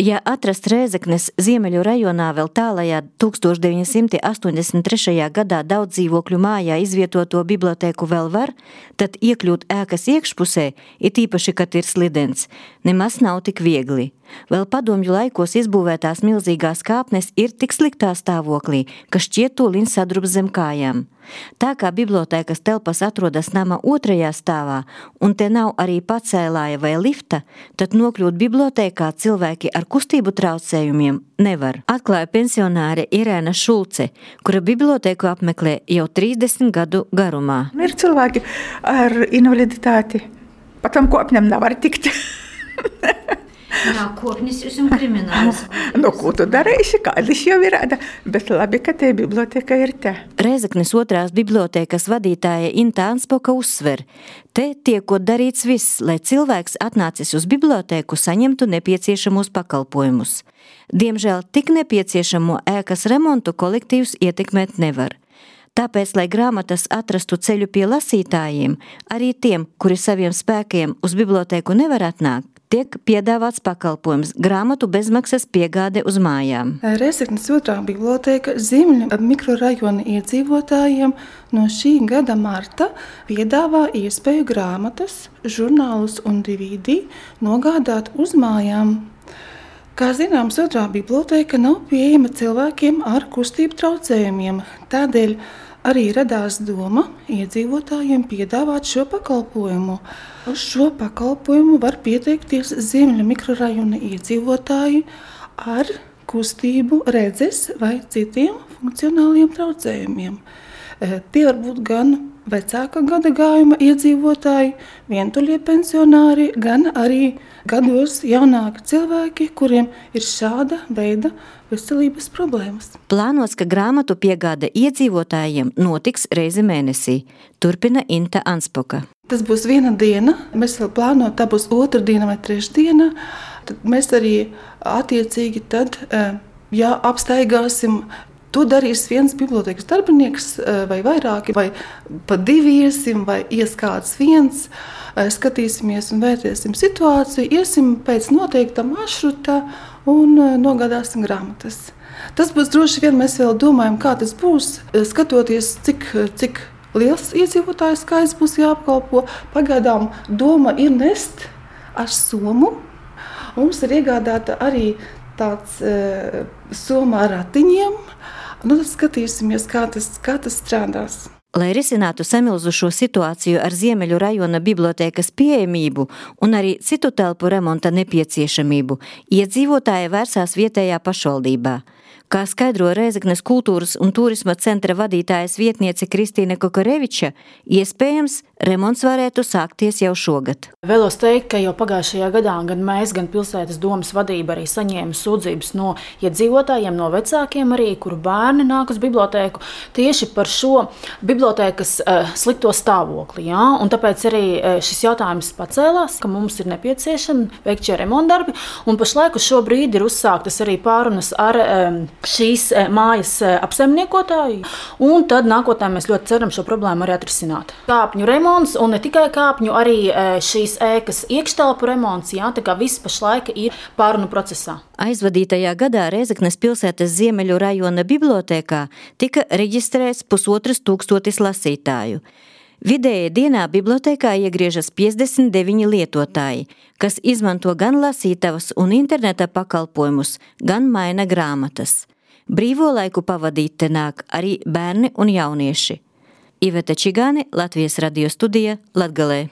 Ja atrast Rēzeknes Ziemeļu rajonā vēl tālajā 1983. gadā daudz dzīvokļu mājā izvietoto bibliotēku vēl var, tad iekļūt ēkas iekšpusē, it īpaši, kad ir slidens, nemaz nav tik viegli. Vēl padomju laikos izbūvētās milzīgās kāpnes ir tik sliktā stāvoklī, ka šķiet tūliņ sadrubs zem kājām. Tā kā bibliotēkas telpas atrodas nama otrajā stāvā, un te nav arī pacēlāja vai lifta, tad nokļūt bibliotēkā cilvēki ar kustību traucējumiem nevar. Atklāja pensionāre Irēna Šulce, kura bibliotēku apmeklē jau 30 gadu garumā. Ir cilvēki ar invaliditāti, pa tam kopņam nevar tikt. Jā, kopnis jūs un krimināls. Ko tu darīsi, kādas jau ir rāda, bet labi, ka te biblioteka ir te. Rēzeknes otrās bibliotēkas vadītāja Inta Anspoka uzsver, te tiekot darīts viss, lai cilvēks atnācis uz bibliotēku saņemtu nepieciešamos pakalpojumus. Diemžēl tik nepieciešamo ēkas remontu kolektīvs ietekmēt nevar. Tāpēc, lai grāmatas atrastu ceļu pie lasītājiem, arī tiem, kuri saviem spēkiem uz bibliotēku nevar atnākt, tiek piedāvāts pakalpojums grāmatu bezmaksas piegāde uz mājām. Rēzeknes otrā bibliotēka Ziemeļu mikrorajona iedzīvotājiem no šī gada marta piedāvā iespēju grāmatas, žurnālus un DVD nogādāt uz mājām. Kā zināms, otrā bibliotēka nav pieejama cilvēkiem ar kustību traucējumiem, tādēļ arī radās doma iedzīvotājiem piedāvāt šo pakalpojumu. Uz šo pakalpojumu var pieteikties Ziemeļu mikrorajona iedzīvotāji ar kustību, redzes vai citiem funkcionāliem traucējumiem. Tie var būt gan vecāka gadagājuma iedzīvotāji, vientuļie pensionāri, gan arī gados jaunāki cilvēki, kuriem ir šāda veida veselības problēmas. Plānots, ka grāmatu piegāde iedzīvotājiem notiks reizi mēnesī, turpina Inta Anspoka. Tas būs viena diena, mēs vēl plānojam, tā būs otra diena vai trešdiena, tad mēs arī attiecīgi tad, apstaigāsim. To darīs viens bibliotēkas darbinieks vai vairāki, vai pa divi iesim, vai ies kāds viens, skatīsimies un vērtēsim situāciju, iesim pēc noteikta maršruta un nogādāsim grāmatas. Tas būs droši vien, mēs vēl domājam, kā tas būs, skatoties, cik liels iedzīvotāju skaits būs jāapkalpo. Pagaidām doma ir nest ar somu. Mums ir iegādāta arī tāds soma ar ratiņiem. Tad skatīsimies, kā tas strādās. Lai risinātu samilzušo situāciju ar Ziemeļu rajona bibliotēkas pieejamību un arī citu telpu remonta nepieciešamību, iedzīvotāji vērsās vietējā pašvaldībā. Kā skaidro Rēzeknes kultūras un turisma centra vadītājas vietniece Kristīne Kokoreviča, iespējams, remonts varētu sākties jau šogad. Vēlos teikt, ka jau pagājušajā gadā gan mēs, gan pilsētas domas vadība arī saņēma sūdzības no iedzīvotājiem, no vecākiem arī, kuru bērni nāk uz bibliotēku, tieši par šo bibliotēkas slikto stāvokli. Ja? Un tāpēc arī šis jautājums pacēlās, ka mums ir nepieciešami veikt šie remontdarbi, un pašlaik uz šo brīdi ir uzsāktas arī pārunas ar šīs mājas apsaimniekotāju, un tad nākotnē mēs ļoti ceram šo problēmu arī atrisināt. Kāpņu remonts, un ne tikai kāpņu, arī šīs ēkas iekštelpu remonts, jā, tā kā viss pašlaik ir pārunu procesā. Aizvadītajā gadā Rēzeknes pilsētas Ziemeļu rajona bibliotēkā tika reģistrēts 1500 lasītāju. Vidēji dienā bibliotēkā iegriežas 59 lietotāji, kas izmanto gan lasītavas un interneta pakalpojumus, gan maina grāmatas. Brīvo laiku pavadīt te nāk arī bērni un jaunieši. Iveta Čigāne, Latvijas radio studija, Latgalē.